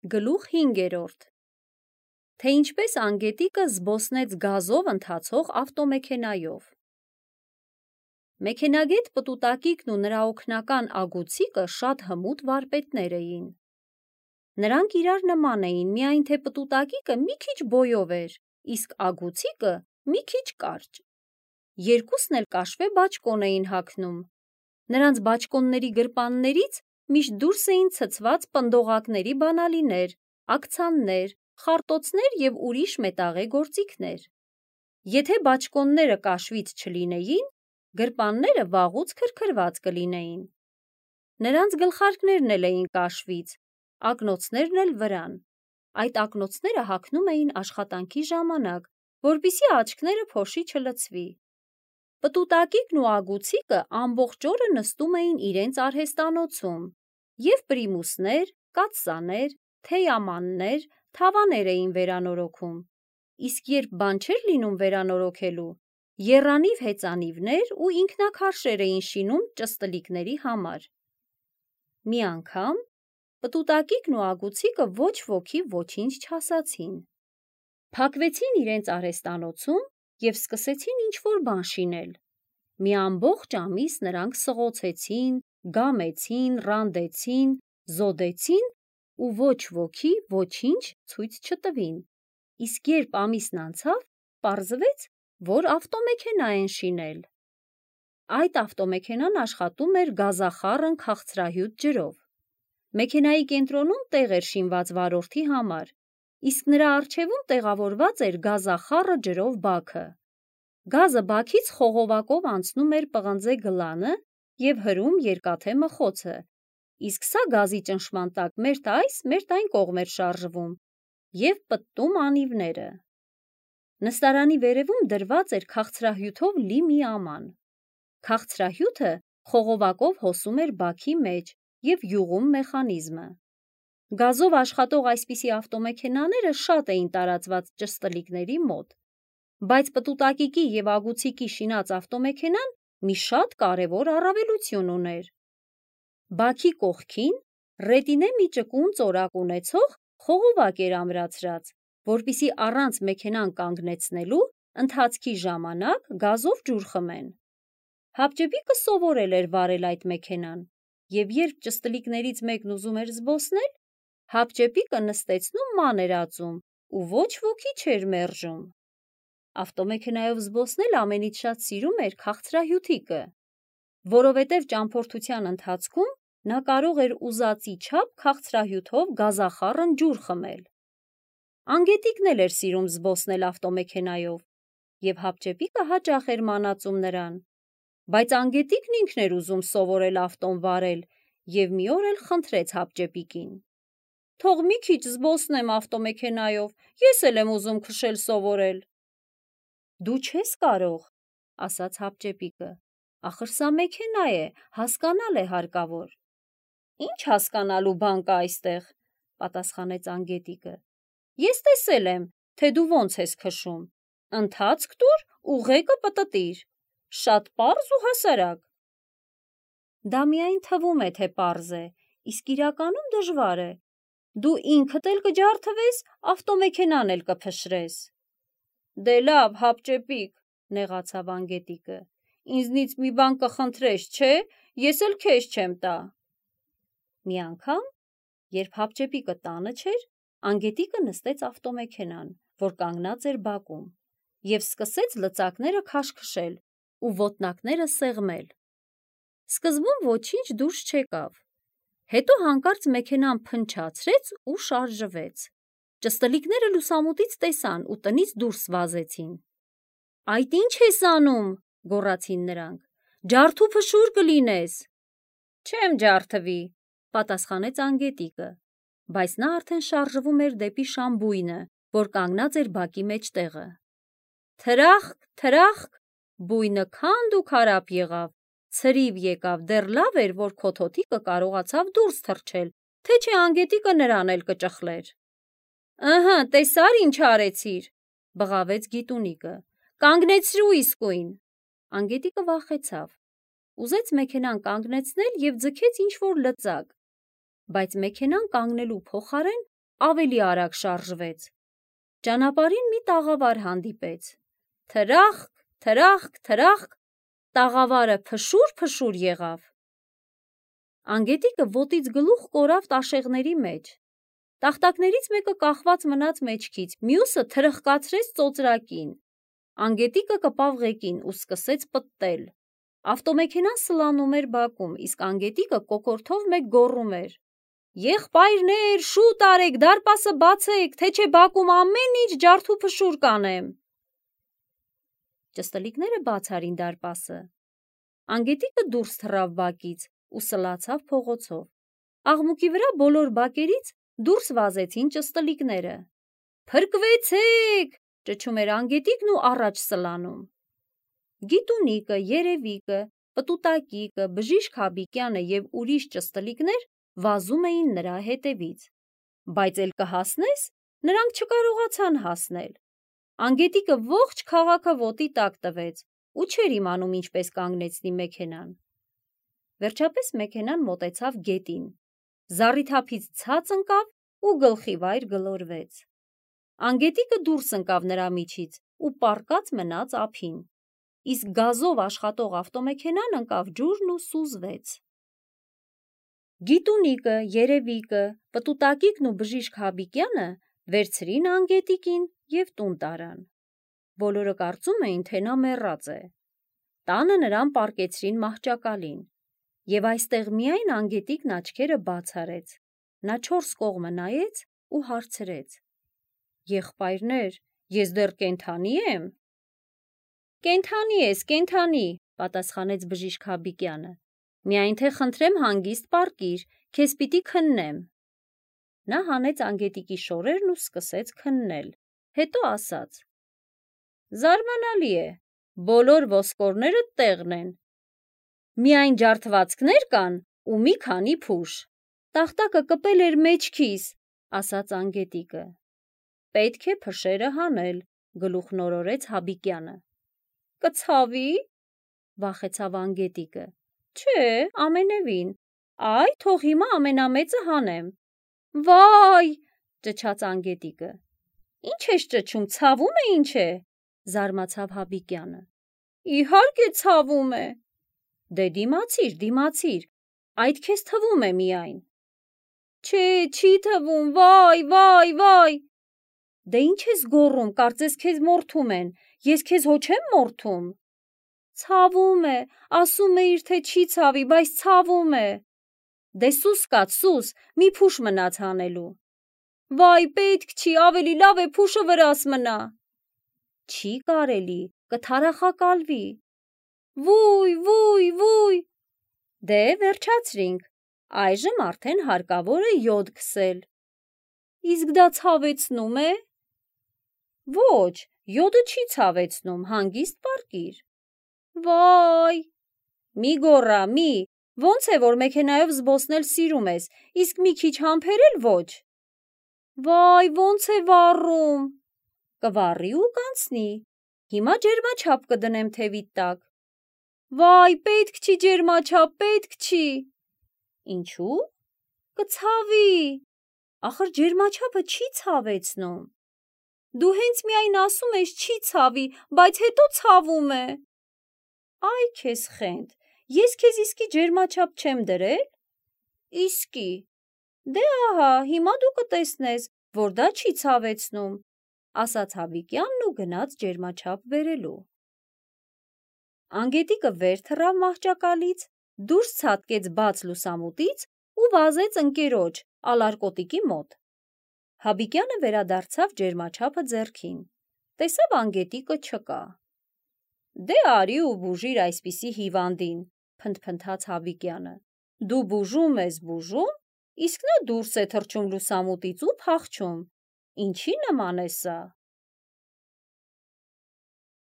Գլուխ 5. Թե ինչպես անգետիկը զբոսնեց գազով ընթացող ավտոմեքենայով։ Մեքենագետ Պտուտակիկն ու նրա օգնական Ագուցիկը շատ հմուտ վարպետներ էին։ Նրանք իրար նման էին, միայն թե Պտուտակիկը մի քիչ բոյով էր, իսկ Ագուցիկը մի քիչ կարճ։ Երկուսն էլ կաշվե բաճկոն էին հագնում։ Նրանց բաճկոնների գրպաններից միշտ դուրս էին ցցված պնդողակների բանալիներ, աքցաններ, խարտոցներ և ուրիշ մետաղե գործիքներ։ Եթե բաճկոնները կաշվից չլինեին, գրպանները վաղուց քրքրված կլինեին։ Նրանց գլխարկներն էլ էին կաշվից, ակնոցներն էլ վրան։ Այդ ակնոցները հագնում էին աշխատանքի ժամանակ, որպեսզի աչքները փոշի չլցվի։ Պտուտակիկն ու Ագուցիկը ամբողջ օրը նստում էին իրենց արհեստանոցում և պրիմուսներ, կաթսաներ, թեյամաններ, թավաներ էին վերանորոգում, իսկ երբ բան չէր լինում վերանորոգելու, եռանիվ հեծանիվներ ու ինքնաքարշեր էին շինում ճստլիկների համար։ Մի անգամ Պտուտակիկն ու Ագուցիկը ոչ ոքի ոչինչ չասացին։ Փակվեցին իրենց արհեստանոցում և սկսեցին ինչ-որ բան շինել։ Մի ամբողջ ամիս նրանք սղոցեցին, գամեցին, ռանդեցին, զոդեցին ու ոչ ոքի ոչինչ ցույց չտվին, իսկ երբ ամիսն անցավ, պարզվեց, որ ավտոմեքենա են շինել։ Այդ ավտոմեքենան աշխատում էր գազախառն քաղցրահյուծ ջրով։ Մեքենայի կենտրոնում տեղ էր շինված վարորդի համար, իսկ նրա առջևում տեղավորված էր գազախառը ջրով բաքը։ Գազը բաքից խողովակով անցնում էր պղնձե գլանը և հրում երկաթե մխոցը, իսկ սա գազի ճնշման տակ մերթ այս, մերթ այն կողմ էր շարժվում և պտտում անիվները։ Նստարանի վերևում դրված էր քաղցրահյութով լի մի աման։ Քաղցրահյութը խողովակով հոսում էր բաքի մեջ և յուղում մեխանիզմը։ Գազով աշխատող այսպիսի ավտոմեքենաները շատ էին տարածված ճստլիկների մոտ, բայց Պտուտակիկի և Ագուցիկի շինած ավտոմեքենան մի շատ կարևոր առավելություն ուներ։ Բաքի կողքին ռետինե մի ճկուն ծորակ ունեցող խողովակ էր ամրացրած, որպեսզի առանց մեքենան կանգնեցնելու ընթացքի ժամանակ գազով ջուր խմեն։ Հապճեպիկը սովորել էր վարել այդ մեքենան, և երբ ճստլիկներից մեկն ուզում էր զբոսնել, Հապճեպիկը նստեցնում ման էր ածում ու ոչ ոքի չէր մերժում։ Ավտոմեքենայով զբոսնել ամենից շատ սիրում էր քաղցրահյութիկը, որովհետև ճամփորդության ընթացքում նա կարող էր ուզածի չափ քաղցրահյութով գազախառն ջուր խմել։ Անգետիկն էլ էր սիրում զբոսնել ավտոմեքենայով, և Հապճեպիկը հաճախ էր մանածում նրան, բայց անգետիկն ինքն էր ուզում սովորել ավտոն վարել և մի օր էլ խնդրեց Հապճեպիկին. «Թող մի քիչ զբոսնեմ ավտոմեքենայով, ես էլ եմ ուզում քշել սովորել»։ «Դու չես կարող», ասաց Հապճեպիկը, «ախր սա մեքենա է, հասկանալ է հարկավոր»։ «Ինչ հասկանալու բան կա այստեղ», պատասխանեց անգետիկը, «ես տեսել եմ, թե դու ոնց ես քշում, ընթացք տուր, ուղեկը պտտիր, շատ պարզ ու հասարակ»։ Դա միայն թվում է, թե պարզ է, իսկ իրականում դժվար է։ Դու ինքդ էլ կջարդվես, ավտոմեքենան էլ կփշրես։ Դե լավ, Հապճեպիկ, նեղացավ անգետիկը, ինձնից մի բան կխնդրես, չէ՞, ես էլ քեզ չեմ տա։ Մի անգամ, երբ Հապճեպիկը տանը չէր, անգետիկը նստեց ավտոմեքենան, որ կանգնած էր բակում, և սկսեց լծակները քաշքշել ու ոտնակները սեղմել։ Սկզբում ոչինչ դուրս չեկավ, հետո հանկարծ մեքենան փնչացրեց ու շարժվեց։ Ճստլիկները լուսամուտից տեսան ու տնից դուրս վազեցին։ «Այդ ի՞նչ ես անում», գոռացին նրանք, «ջարդուփշուր կլինես»։ «Չեմ ջարդվի», պատասխանեց անգետիկը, բայց նա արդեն շարժվում էր դեպի շամբույնը, որ կանգնած էր բակի մեջտեղը։ Թրախկ, թրախկ, բույնը քանդ ու քարափ եղավ, ցրիվ եկավ, դեռ լավ էր, որ քոթոթիկը կարողացավ դուրս թռչել, թե չէ անգետիկը նրան էլ կճխլեր։ «Ըհը, տեսա՞ր ինչ արեցիր», բղավեց գիտունիկը, «կանգնեցրու իսկույն»։ Անգետիկը վախեցավ, ուզեց մեքենան կանգնեցնել և ձգեց ինչ-որ լծակ, բայց մեքենան կանգնելու փոխարեն ավելի արագ շարժվեց։ Ճանապարհին մի տաղավար հանդիպեց։ Թրախկ, թրախկ, թրախկ, տաղավարը փշուր եղավ։ Անգետիկը ոտից գլուխ կորավ տաշեղների մեջ։ Տախտակներից մեկը կախված մնաց մեջքից, մյուսը թրխկացրեց ծոծրակին։ Անգետիկը կպավ ղեկին ու սկսեց պտտել։ Ավտոմեքենան սլանում էր բակում, իսկ անգետիկը կոկորդով մեկ գոռում էր. «Եղբայրներ, շուտ արեք, դարպասը բացեք, թե չէ բակում ամեն ինչ ջարդուփշուր կանեմ»։ Ճստլիկները բաց արին դարպասը։ Անգետիկը դուրս թռավ բակից ու սլացավ փողոցով։ Աղմուկի վրա բոլոր բակերից դուրս վազեցին ճստլիկները։ «Փրկվեցեք», ճչում էր անգետիկն ու առաջ սլանում։ Գիտունիկը, Երևիկը, Պտուտակիկը, Բժիշկ Հաբիկյանը և ուրիշ ճստլիկներ վազում էին նրա հետևից։ Բայց էլ կհասնես, նրանք չկարողացան հասնել։ Անգետիկը ողջ քաղաքը ոտի տակ տվեց ու չէր իմանում ինչպես կանգնեցնի մեքենան։ Վերջապես մեքենան մոտեցավ գետին, զառիթափից ցած ընկավ ու գլխիվայր գլորվեց։ Անգետիկը դուրս ընկավ նրա միջից ու պառկած մնաց ափին, իսկ գազով աշխատող ավտոմեքենան ընկավ ջուրն ու սուզվեց։ Գիտունիկը, Երևիկը, Պտուտակիկն ու Բժիշկ Հաբիկյանը վերցրին անգետիկին և տուն տարան։ Բոլորը կարծում էին, թե նա մեռած է։ Տանը նրան պառկեցրին մահճակալին, և այստեղ միայն անգետիկն աչքերը բաց արեց։ Նա 4 կողմը նայեց ու հարցրեց. «Եղբայրներ, ես դեռ կենդանի եմ»։ «Կենդանի ես, կենդանի», պատասխանեց Բժիշկ Հաբիկյանը։ «Միայն թե խնդրեմ հանգիստ պառկիր, քեզ պիտի քննեմ»։ Նա հանեց անգետիկի շորերն ու սկսեց քննել, հետո ասաց. «Զարմանալի է, բոլոր ոսկորները տեղն են, միայն ջարդվածքներ կան ու մի քանի փուշ»։ «Տախտակը կպել էր մեջքիս», ասաց անգետիկը։ «Պետք է փշերը հանել», գլուխնորորեց Հաբիկյանը։ «Կցավի՞», վախեցավ անգետիկը։ «Չէ, ամենևին, այ թող հիմա ամենամեծը հանեմ»։ «Վայ», ճչաց անգետիկը։ «Ինչ ես ճչում, ցավում է ինչ է», զարմացավ Հաբիկյանը։ «Իհարկե ցավում է»։ «Դե դիմացիր, այդ քեզ թվում է միայն»։ «Չէ, չի թվում, վայ»։ «Դե ինչ ես գոռում, կարծես քեզ մորթում են, ես քեզ հո չեմ մորթում»։ «Ցավում է, ասում էիր, թե չի ցավի, բայց ցավում է»։ «Դե սուս կաց, սուս, մի փուշ մնաց հանելու»։ «Վայ, պետք չի, ավելի լավ է փուշը վրաս մնա»։ «Չի կարելի, կթարախակալվի»։ «Վույ»։ «Դե վերջացրինք, այժմ արդեն հարկավոր է յոդ քսել»։ «Իսկ դա ցավեցնում է»։ «Ոչ, յոդը չի ցավեցնում, հանգիստ պառկիր»։ «Վայ»։ «Մի գոռա, մի, ոնց է, որ մեքենայով զբոսնել սիրում ես, իսկ մի քիչ համբերել ոչ»։ «Վայ, ոնց է վառում»։ «Կվառի ու կանցնի, հիմա ջերմաչափ կդնեմ թևիդ տակ»։ «Վայ, պետք չի ջերմաչափ, պետք չի»։ «Ինչու՞։ Կցավի»։ «Ախր ջերմաչափը չի ցավեցնում»։ «Դու հենց միայն ասում ես չի ցավի, բայց հետո ցավում է»։ «Այ քեզ խենթ, ես քեզ իսկի ջերմաչափ չեմ դրել»։ «Իսկի»։ «Դե ահա, հիմա դու կտեսնես, որ դա չի ցավեցնում», ասաց Հաբիկյանն ու գնաց ջերմաչափ բերելու։ Անգետիկը վեր թռավ մահճակալից, դուրս ցատկեց բաց լուսամուտից ու վազեց ընկերոջ ալարկոտիկի մոտ։ Հաբիկյանը վերադարձավ ջերմաչափը ձեռքին, տեսավ անգետիկը չկա։ «Դե արի ու բուժիր այսպիսի հիվանդին», փնթփնթաց Հաբիկյանը։ «Դու բուժում ես, իսկ նա դուրս է թռչում լուսամուտից ու փախչում։ Ինչի նման է սա»։